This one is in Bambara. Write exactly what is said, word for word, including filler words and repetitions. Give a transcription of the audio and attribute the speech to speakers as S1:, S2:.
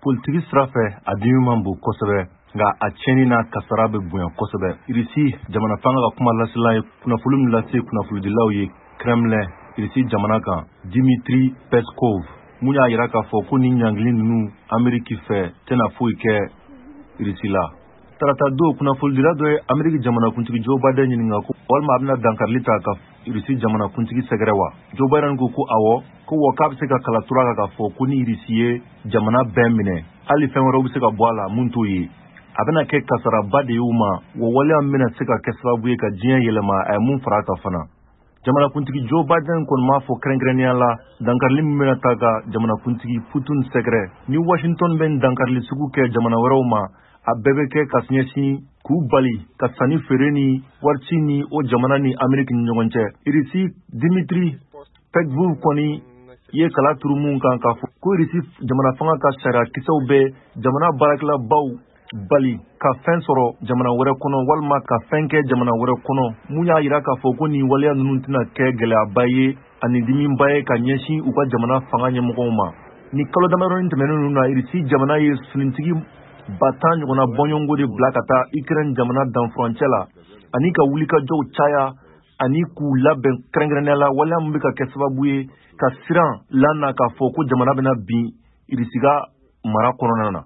S1: Politiki sira fɛ, a dimi man bon kosɛbɛ, nka a tiɲɛni n'a kasara bɛ bonya kosɛbɛ. Irisi jamana fanga ka kuma lasela ye kunnafoni min lase kunnafonidilaw ye Kremlin, Irisi jamana kan, Dimitri Peskov mun y'a yira k'a fɔ ko ni ɲangili ninnu Ameriki fɛ tɛna foyi kɛ Irisi la. Tarata don, kunnafonidila dɔ ye Ameriki jamanakuntigi Joe Biden ɲininka ko walima a bɛna dankarili ta ka Irisi jamanakuntigi sɛgɛrɛ wa. Joe Biden ko ko awɔ, ko wa k'a bɛ se ka kala tura kan k'a fɔ ko ni Irisi ye jamana bɛɛ minɛ, hali fɛn wɛrɛw bɛ se ka bɔ a la mun t'o ye, a bɛna kɛ kasaraba de ye u ma, wa waleya min bɛna se ka kɛ sababu ye ka diɲɛ yɛlɛma. A ye mun fara a kan fana, jamanakuntigi Joe Biden kɔni m'a fɔ kɛrɛnkɛrɛnnenya la dankarili min bɛna ta ka jamanakuntigi Putin sɛgɛrɛ. Ni Washington bɛ dankarili sugu kɛ jamana wɛrɛw ma, a bɛɛ bɛ kɛ ka ɲɛsin k'u bali ka sanni feere ni warici ni o jamana ni Ameriki ni ɲɔgɔn cɛ. Irisi Dimitri Peskov kɔni ye kala turu mun kan k'a fɔ ko Irisi jamana fanga ka sariya kisɛw bɛ jamana baarakɛlabaw bali ka fɛn sɔrɔ jamana wɛrɛ kɔnɔ walima ka fɛn kɛ jamana wɛrɛ kɔnɔ, mun y'a yira k'a fɔ ko nin waleya ninnu tɛna kɛ gɛlɛyaba ye ani dimiba ye ka ɲɛsin u ka jamana fanga ɲɛmɔgɔw ma. Ni kalo damadɔni tɛmɛnen ninnu na, Irisi jamana ye finitigi ba tan ɲɔgɔnna bɔɲɔgɔnko de bila ka taa Ukraine jamana danfurancɛ la ani ka wulikajɔw caya ani k'u labɛn kɛrɛnkɛrɛnnenya la, waleya min bɛ ka kɛ sababu ye ka siran lana k'a fɔ ko jamana bɛna bin Irisi ka mara kɔnɔna na.